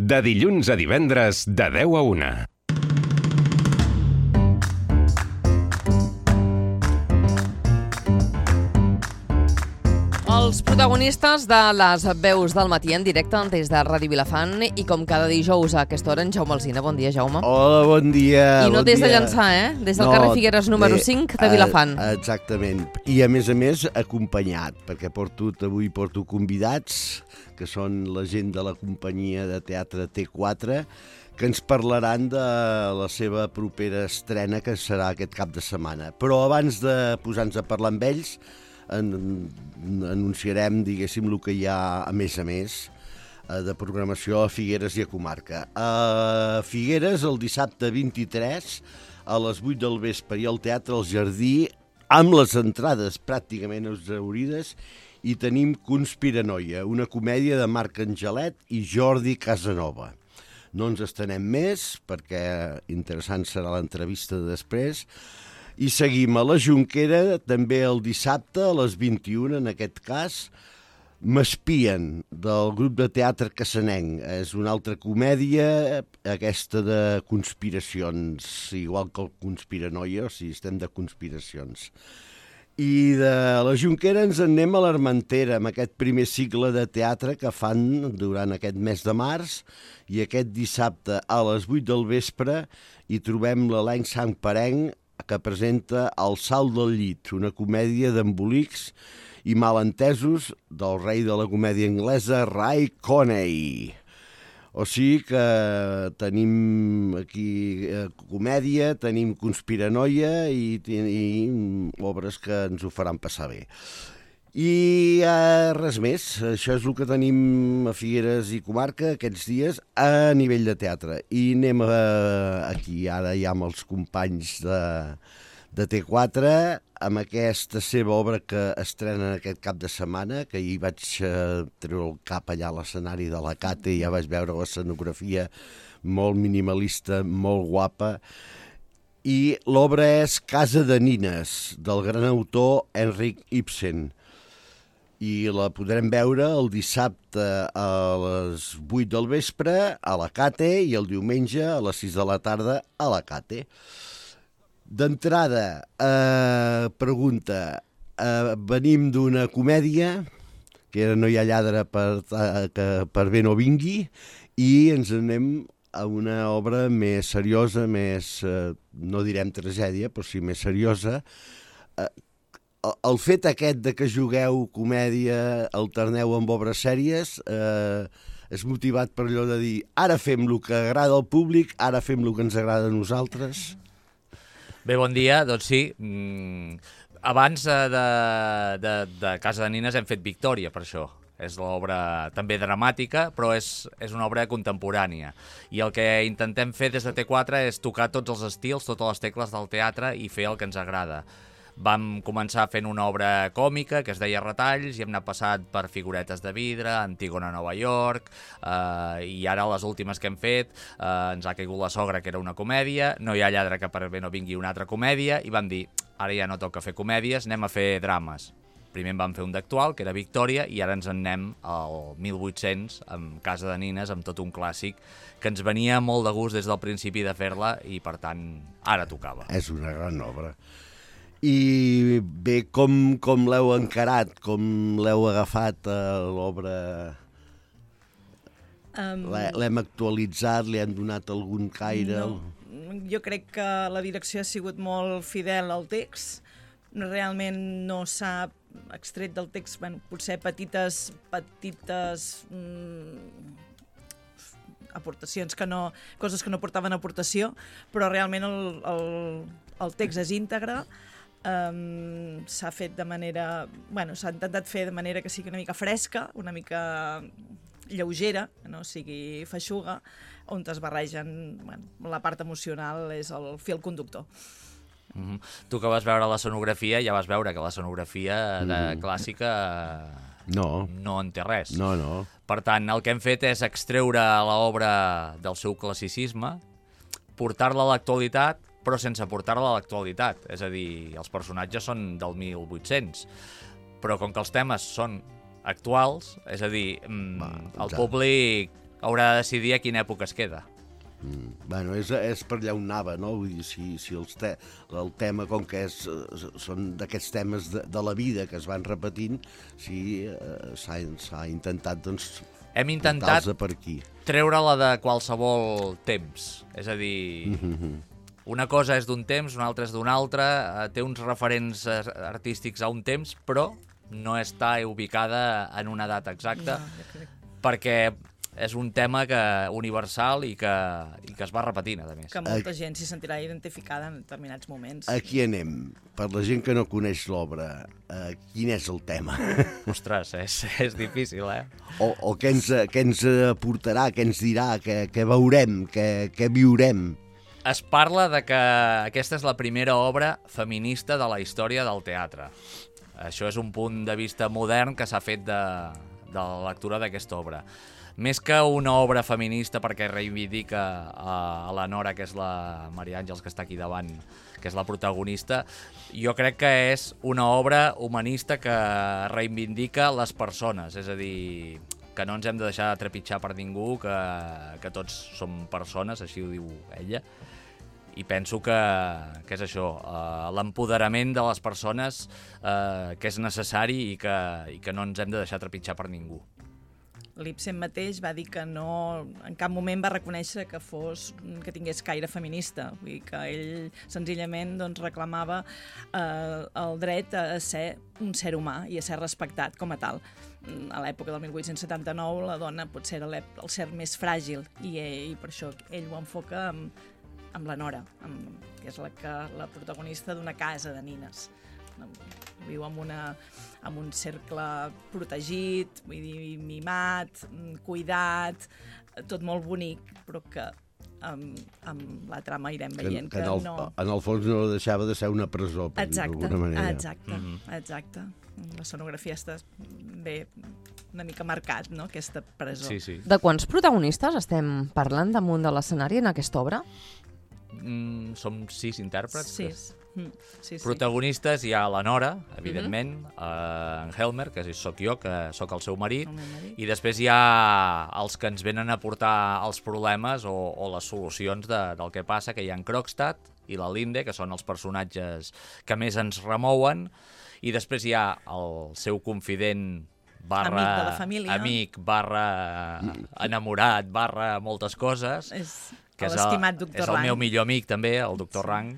De dilluns a divendres, de 10 a 1. Els protagonistes de les veus del matí en directe des de Ràdio Vilafant i com cada dijous a aquesta hora en Jaume Alsina. Bon dia, Jaume. Hola, bon dia. I no des de Llançà, Des del carrer Figueres número 5 de Vilafant. Exactament. I a més, acompanyat, perquè avui porto convidats, que són la gent de la companyia de teatre T4, que ens parlaran de la seva propera estrena, que serà aquest cap de setmana. Però abans de posar-nos a parlar amb ells, anunciarem, diguéssim, el que hi ha a més de programació a Figueres i a comarca. A Figueres, el dissabte 23, a les 8 del vespre, i al Teatre El Jardí, amb les entrades pràcticament exhaurides, i tenim Conspiranoia, una comèdia de Marc Angelet i Jordi Casanova. No ens estenem més, perquè interessant serà l'entrevista de després. I seguim a la Jonquera, també el dissabte, a les 21, en aquest cas, M'espien, del grup de teatre cassanenc. És una altra comèdia, aquesta de conspiracions, igual que el Conspiranoia, o sigui, estem de conspiracions. I de la Jonquera ens en anem a l'Armentera, amb aquest primer cicle de teatre que fan durant aquest mes de març, i aquest dissabte a les 8 del vespre hi trobem l'elenc santperenc, que presenta El salt del llit, una comèdia d'embolics i malentesos del rei de la comèdia anglesa, Ray Coney. O sigui que tenim aquí comèdia, tenim conspiranoia i obres que ens ho faran passar bé. I res més, això és el que tenim a Figueres i comarca aquests dies a nivell de teatre. I anem aquí ara ja amb els companys de T4, amb aquesta seva obra que estrenen aquest cap de setmana, que hi vaig treure el cap allà a l'escenari de la Cate i ja vaig veure l'escenografia molt minimalista, molt guapa. I l'obra és Casa de nines, del gran autor Henrik Ibsen. I la podrem veure el dissabte a les 8 del vespre a la Cate i el diumenge a les 6 de la tarda a la Cate. D'entrada, pregunta, venim d'una comèdia, que era No hi ha lladre per bé no vingui, i ens anem a una obra més seriosa, més, no direm tragèdia, però sí més seriosa. El fet aquest de que jugueu comèdia, alterneu amb obres sèries, és motivat per allò de dir ara fem el que agrada al públic, ara fem el que ens agrada a nosaltres? Bé, bon dia. Doncs sí, abans de Casa de nines hem fet Victòria, per això. És l'obra també dramàtica, però és una obra contemporània. I el que intentem fer des de T4 és tocar tots els estils, totes les tecles del teatre i fer el que ens agrada. Vam començar fent una obra còmica que es deia Retalls i hem anat passant per Figuretes de vidre, Antígona a Nova York, i ara les últimes que hem fet ens ha caigut La sogra, que era una comèdia, No hi ha lladre que per bé no vingui, una altra comèdia, i vam dir, ara ja no toca fer comèdies, anem a fer drames. Primer en vam fer un d'actual, que era Victòria, i ara ens en anem al 1800, amb Casa de nines, amb tot un clàssic, que ens venia molt de gust des del principi de fer-la i, per tant, ara tocava. És una gran obra. I bé, com l'heu encarat? Com l'heu agafat l'obra? L'hem actualitzat? Li hem donat algun caire? No, jo crec que la direcció ha sigut molt fidel al text. Realment no s'ha extret del text, potser petites aportacions, coses que no portaven aportació, però realment el text és íntegre. S'ha fet de manera... s'ha intentat fer de manera que sigui una mica fresca, una mica lleugera, que no sigui feixuga, on es barregen... la part emocional és el fil conductor. Tu que vas veure l'escenografia, ja vas veure que l'escenografia clàssica no en té res. No. Per tant, el que hem fet és extreure l'obra del seu classicisme, portar-la a l'actualitat, però sense portar-la a l'actualitat. És a dir, els personatges són del 1800, però com que els temes són actuals, és a dir, el públic haurà de decidir a quina època es queda. Bueno, és per allà on anava, no? Vull dir, si el tema, com que són d'aquests temes de la vida que es van repetint, sí, s'ha intentat, doncs, Hem intentat portar-los per aquí. treure-la de qualsevol temps. És a dir, una cosa és d'un temps, una altra és d'un altre, té uns referents artístics a un temps, però no està ubicada en una data exacta, perquè és un tema universal i que es va repetint, a més. Que molta gent s'hi sentirà identificada en determinats moments. Aquí anem. Per la gent que no coneix l'obra, quin és el tema? Ostres, és difícil, eh? O què ens aportarà, què ens dirà, què veurem, què viurem? Es parla de que aquesta és la primera obra feminista de la història del teatre. Això és un punt de vista modern que s'ha fet de la lectura d'aquesta obra. Més que una obra feminista perquè reivindica a la Nora, que és la Maria Àngels, que està aquí davant, que és la protagonista, jo crec que és una obra humanista que reivindica les persones, és a dir, que no ens hem de deixar de trepitjar per ningú, que tots som persones, així ho diu ella, i penso que és això, l'empoderament de les persones que és necessari i que no ens hem de deixar trepitjar per ningú. L'Ibsen mateix va dir que no, en cap moment va reconèixer que tingués caire feminista, vull dir que ell senzillament doncs, reclamava el dret a ser un ser humà i a ser respectat com a tal. A l'època del 1879 la dona potser era el ser més fràgil i per això ell ho enfoca amb la Nora, que és la protagonista d'una casa de nines. Viu en un cercle protegit, vull dir, mimat, cuidat, tot molt bonic, però que amb la trama irem veient que no... En el fons no deixava de ser una presó, per dir d'alguna manera. Exacte. L'escenografia està bé una mica marcat, no?, aquesta presó. Sí. De quants protagonistes estem parlant damunt de l'escenari en aquesta obra? Som 6 intèrprets. 6. Sí. Protagonistes hi ha la Nora, evidentment, en Helmer, que sóc jo, que sóc el seu marit, i després hi ha els que ens venen a portar els problemes o les solucions del que passa, que hi ha en Krogstad i la Linde, que són els personatges que més ens remouen, i després hi ha el seu confident amic de la família, amic, enamorat, moltes coses, que l'estimat doctor Rang. És el meu millor amic també, el doctor Rang,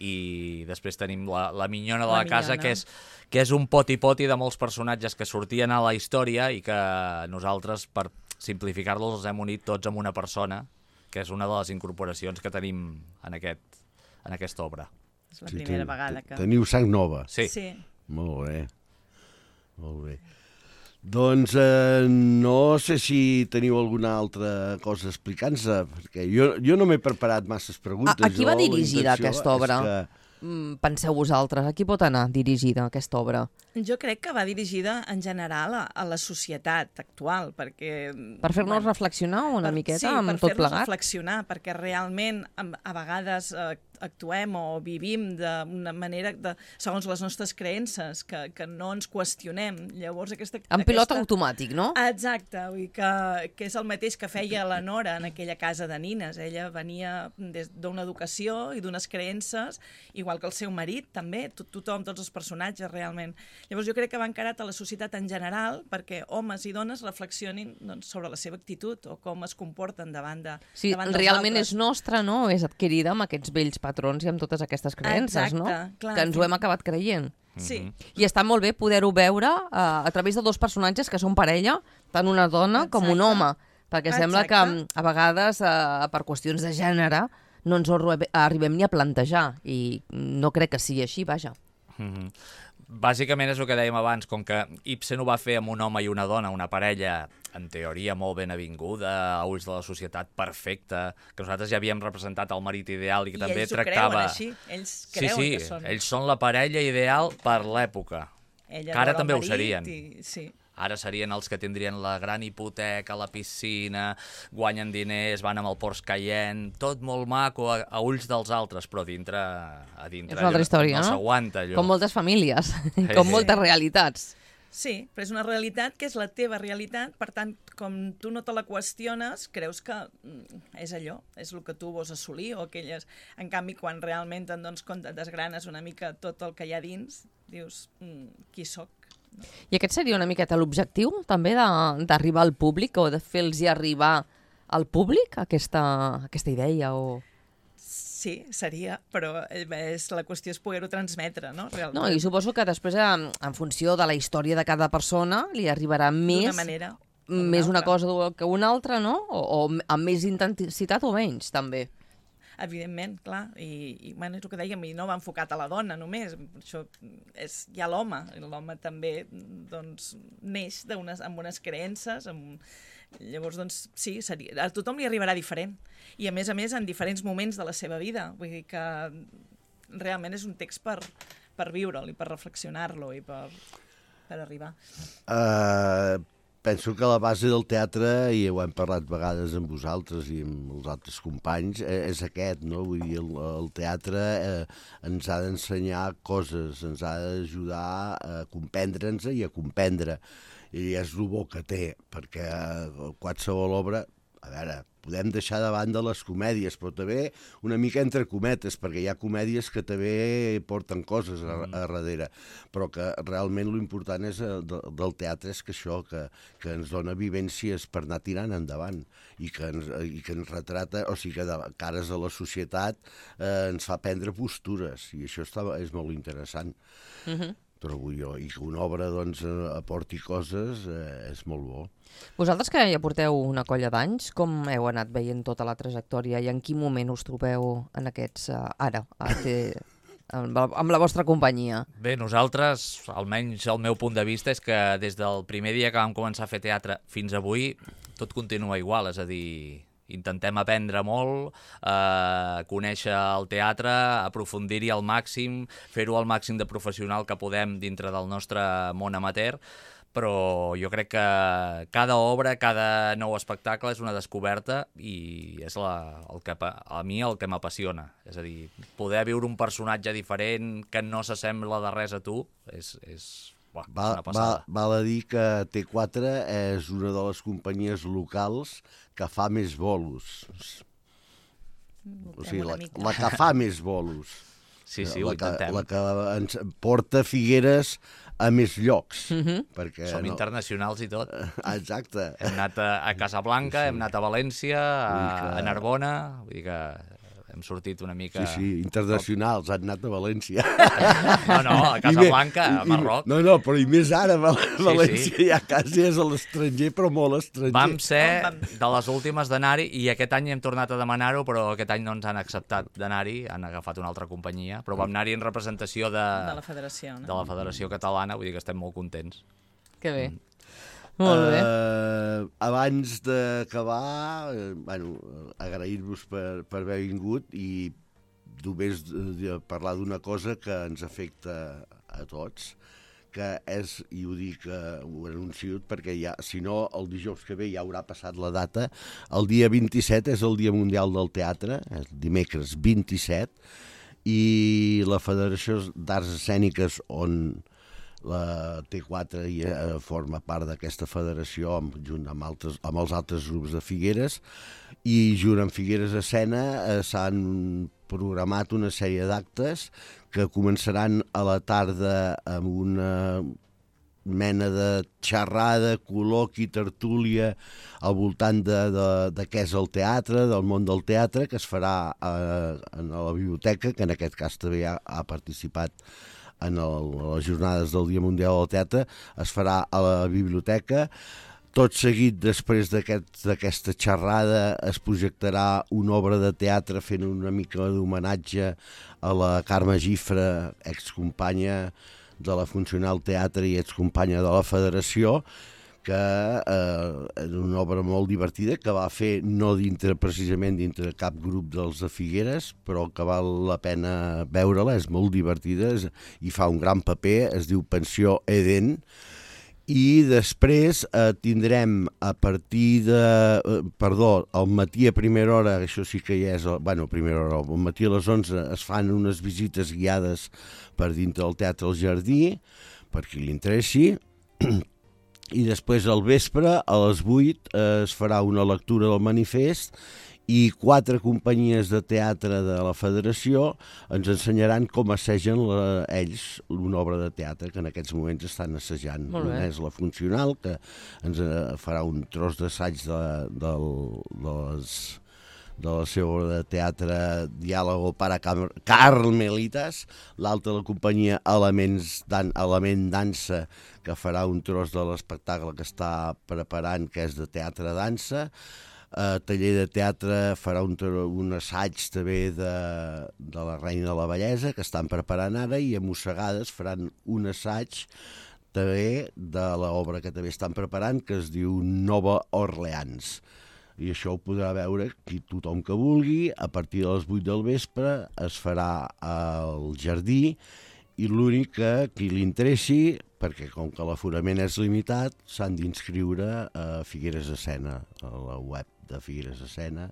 i després tenim la minyona de la casa, que és un poti-poti de molts personatges que sortien a la història i que nosaltres, per simplificar-los, els hem unit tots amb una persona, que és una de les incorporacions que tenim en aquesta obra. És la primera vegada que... Teniu sang nova. Sí. Molt bé. Doncs no sé si teniu alguna altra cosa a explicar-nos, perquè jo no m'he preparat masses preguntes. A qui va dirigida aquesta obra? Penseu vosaltres, a qui pot anar dirigida aquesta obra? Jo crec que va dirigida en general a la societat actual, perquè... Per fer-nos reflexionar una miqueta amb tot plegat? Sí, per fer-nos reflexionar, perquè realment a vegades actuem o vivim d'una manera segons les nostres creences, que no ens qüestionem. Llavors En pilot automàtic, no? Exacte, vull dir que és el mateix que feia la Nora en aquella casa de nines. Ella venia d'una educació i d'unes creences, igual que el seu marit, també, tothom, tots els personatges, realment. Llavors jo crec que va encarat a la societat en general perquè homes i dones reflexionin sobre la seva actitud o com es comporten davant dels altres. Sí, realment és nostra, no? És adquirida amb aquests vells patrons i amb totes aquestes creences, no? Clar, que ens ho hem acabat creient. Sí. I està molt bé poder-ho veure a través de dos personatges que són parella, tant una dona com un home, perquè sembla que a vegades per qüestions de gènere no ens ho arribem ni a plantejar i no crec que sigui així, vaja. Bàsicament és el que dèiem abans, com que Ibsen ho va fer amb un home i una dona, una parella en teoria molt ben avinguda, a ulls de la societat perfecta, que nosaltres ja havíem representat el marit ideal i que també tractava... I ells ho creuen així, ells creuen que són... ells són la parella ideal per l'època, que ara també ho serien. Sí. Ara serien els que tindrien la gran hipoteca, la piscina, guanyen diners, van amb el Porsche Cayenne, tot molt maco a ulls dels altres, però a dintre és una altra història, no s'aguanta allò. Com moltes famílies, com moltes realitats. Sí, però és una realitat que és la teva realitat, per tant, com tu no te la qüestiones, creus que és allò, és el que tu vols assolir, o aquelles... En canvi, quan realment te'n dones compte, desgranes una mica tot el que hi ha dins, dius, qui sóc? No? I aquest seria una miqueta l'objectiu, també, d'arribar al públic, o de fer-los arribar al públic aquesta idea, o... Sí, seria, però la qüestió és poder-ho transmetre, no? Realment. No, i suposo que després, en funció de la història de cada persona, li arribarà més... D'una manera. Més una cosa que una altra, no? O amb més intensitat o menys, també. Evidentment, clar, i bueno, és el que dèiem, i no va enfocat a la dona només, això hi ha l'home, i l'home també doncs, neix amb unes creences, llavors, doncs, sí, a tothom li arribarà diferent, i a més, en diferents moments de la seva vida, vull dir que realment és un text per viure'l i per reflexionar-lo i per arribar. Penso que la base del teatre, i ho hem parlat vegades amb vosaltres i amb els altres companys, és aquest, no? Vull dir, el teatre ens ha d'ensenyar coses, ens ha d'ajudar a comprendre'ns i a comprendre. I és el bo que té, perquè qualsevol obra... A veure, podem deixar de banda les comèdies, però també una mica entre cometes, perquè hi ha comèdies que també porten coses a darrere, però que realment l'important és del teatre és que això, que ens dona vivències per anar tirant endavant i que ens retrata, o sigui que de cares a la societat ens fa prendre postures, i això és molt interessant. Trobo jo, i que una obra doncs, aporti coses és molt bo. Vosaltres que ja porteu una colla d'anys, com heu anat veient tota la trajectòria i en quin moment us trobeu en aquests ara, amb la vostra companyia? Bé, nosaltres, almenys el meu punt de vista, és que des del primer dia que vam començar a fer teatre fins avui, tot continua igual, és a dir... Intentem aprendre molt, conèixer el teatre, aprofundir-hi al màxim, fer-ho al màxim de professional que podem dintre del nostre món amateur, però jo crec que cada obra, cada nou espectacle és una descoberta i és a mi el que m'apassiona. És a dir, poder viure un personatge diferent que no s'assembla de res a tu és una passada. Val a dir que T4 és una de les companyies locals que fa més bolos. O sigui, la que fa més bolos. Sí, ho intentem. La que ens porta Figueres a més llocs. Som internacionals i tot. Exacte. Hem anat a Casablanca, hem anat a València, a Narbona, vull dir que hem sortit una mica... Sí, internacionals, han anat a València. No, a Casablanca, a Marroc. No, però i més ara, València ja quasi és a l'estranger, però molt estranger. Vam ser de les últimes d'anar-hi i aquest any hem tornat a demanar-ho, però aquest any no ens han acceptat d'anar-hi, han agafat una altra companyia, però vam anar-hi en representació de la federació, no? De la Federació Catalana, vull dir que estem molt contents. Que bé. Molt bé. Abans d'acabar, agrair-vos per haver vingut i només parlar d'una cosa que ens afecta a tots, que és, i ho dic, ho anuncio perquè ja, si no, el dijous que ve ja haurà passat la data, el dia 27 és el Dia Mundial del Teatre, és dimecres 27, i la Federació d'Arts Escèniques, on la T4 forma part d'aquesta federació junt amb els altres grups de Figueres, i junt amb Figueres Escena s'han programat una sèrie d'actes que començaran a la tarda amb una mena de xerrada, col·loqui, tertúlia al voltant de què és el teatre, del món del teatre, que es farà a la biblioteca, que en aquest cas també ha participat en les jornades del Dia Mundial del Teatre, es farà a la biblioteca. Tot seguit, després d'aquesta xerrada, es projectarà una obra de teatre fent una mica d'homenatge a la Carme Gifra, excompanya de la Funcional Teatre i excompanya de la Federació, que és una obra molt divertida, que va fer no precisament dintre cap grup dels de Figueres, però que val la pena veure-la, és molt divertida i fa un gran paper, es diu Pensió Eden, i després tindrem a partir al matí a primera hora, això sí que ja és, a primera hora, al matí a les 11 es fan unes visites guiades per dintre del Teatre al Jardí, per qui li interessi, I després al vespre, a les 8, es farà una lectura del manifest i 4 companyies de teatre de la Federació ens ensenyaran com assegen ells una obra de teatre que en aquests moments estan assajant. Una és la Funcional, que ens farà un tros d'assaig de la seva obra de teatre Diàlogo para Carmelitas, l'altra la companyia Element Dansa, que farà un tros de l'espectacle que està preparant, que és de teatre-dansa. Taller de teatre farà un assaig també de la Reina de la Bellesa, que estan preparant ara, i a Mossegades faran un assaig també de l'obra que també estan preparant, que es diu Nova Orleans. I això ho podrà veure tothom que vulgui. A partir de les 8 del vespre es farà al Jardí, i l'únic que qui li interessi, perquè com que l'aforament és limitat, s'han d'inscriure a Figueres Escena, a la web de Figueres Escena.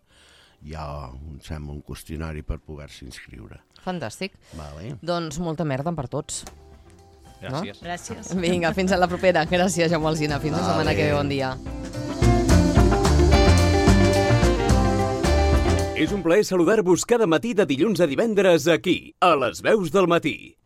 Hi ha, em sembla, un qüestionari per poder-se inscriure. Fantàstic. Vale. Doncs molta merda per tots. Gràcies. No? Gràcies. Vinga, fins a la propera. Gràcies, Jaume Alsina. Fins la setmana que ve. Bon dia. És un plaer saludar-vos cada matí de dilluns a divendres aquí, a les Veus del Matí.